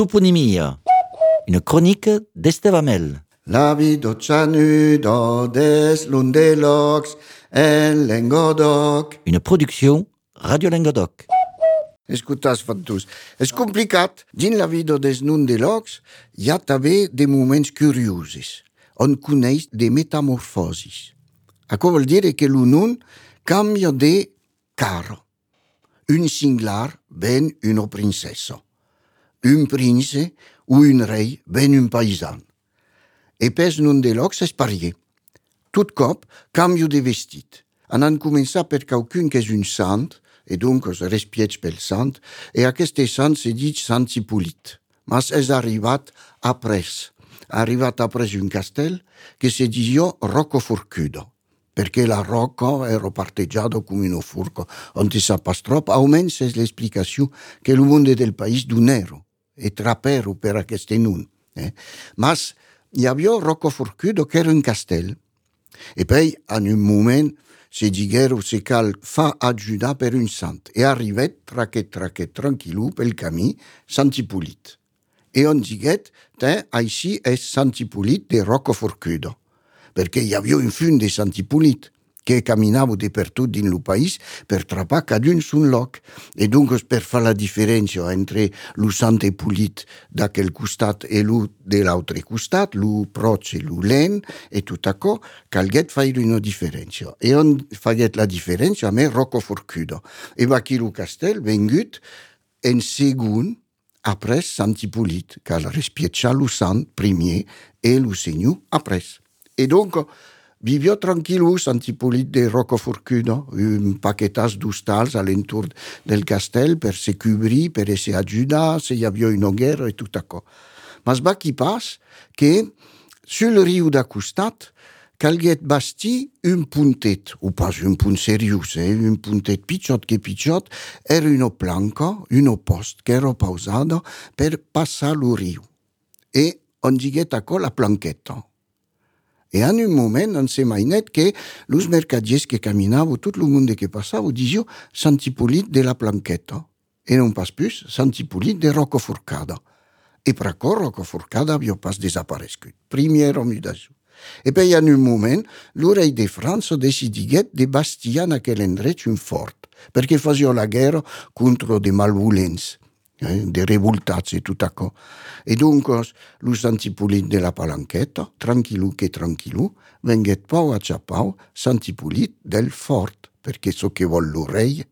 toponymia, une chronique d'Estevamel. La vida chanuda des Lundelocs en Languedoc. Une production Radio Languedoc. Escoltați, fantus. És complicat. Dins la vida des Lundelocs hi ha també de moments curiosos. On coneix de metamorfosis. Això vol dire que l'un canvia de cara. Un singlar ven una princessa. Un prince o un rei ven un paisan. E pes Lundelocs és parier. Tot cop canvio de vestit. Han començat per qualcun que és un sant, e donc es respiets pel sant, e aquest sant se dit Sant Hippolyte. Mas és arribat après. Arribat après un castell que se diu Rocaforcudo, perché la rocca era parteggiata come una furca. On ne sap pas trop, almenys és l'explicació que el món del país donero, e trapero per aquest nun. Mas hi havia Rocaforcudo que era un castell, e poi en un moment se diguero se cal fa ajudar per un sant, e arrivet traquet tranquil·lo pel camí Sant Hippolyte. E on diguet, així és Sant Hippolyte de Rocaforcudo, perquè hi havia un fund de Sant Hippolyte que caminava de per tot dins el país per trapar cada un son lloc. E donc per fer la diferència entre el Sant Hippolyte d'aquell costat i el de l'altre costat, el proig i el lent, e tot això, calguet fer una diferència. E on faguet la diferència, a més, Rocaforcudo. E va aquí el castell vengut en segon après Sant Hippolyte, cal respietjar el sant primer e el senyor après. E donc, vivia tranquil·lo Sant Hippolyte de Rocaforcudo, un paquetas d'hostals a l'entorn del castell per se cobrir, per se ajudar, se hi havia una guerra e tot això. Mas va qui pas que sul riu d'acostat calguet bastir un puntet, o pas un punt seriós, un puntet pitjot que pitjot, era una planca, una post que era pausada per passar el riu. E on diguet això la planqueta. E en un moment on se mainet que los mercadiers que caminaven, tot el món que passava, diziu Sant Hippolyte de la Planqueta. E non pas plus Sant Hippolyte de Rocaforcada. E per això Rocaforcada havia pas desaparegut. Primera mudació. E poi en un moment, el rei de França decidiguet de bastir en aquell endret un fort, perquè fazia la guerra contra de malvolents, de revoltats e tot això. E donc, el Sant Hippolyte de la Palanqueta, tranquil·lo que tranquil·lo, venguet pau a xapau Sant Hippolyte del fort, perquè so que vol el rei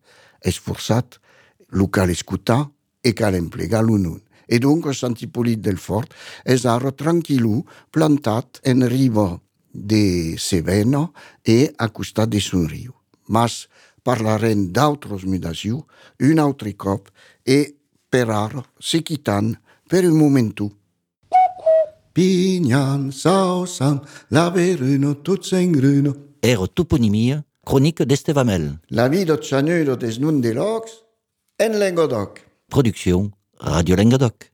és forçat, lo cal escutar e cal emplegar l'un. E donc, Sant Hippolyte del fort és ara tranquil·lo plantat en riba de Sevena e a costat de son riu. Mas parlarem d'altres mudacions un altre cop e per ara se quitant per un momentu. Pinyan, sausan, la veruna, tot s'engruna. Era toponymia, chronique d'Estevamel. La vida chanuda des Lundelocs en Languedoc. Production Radio Languedoc.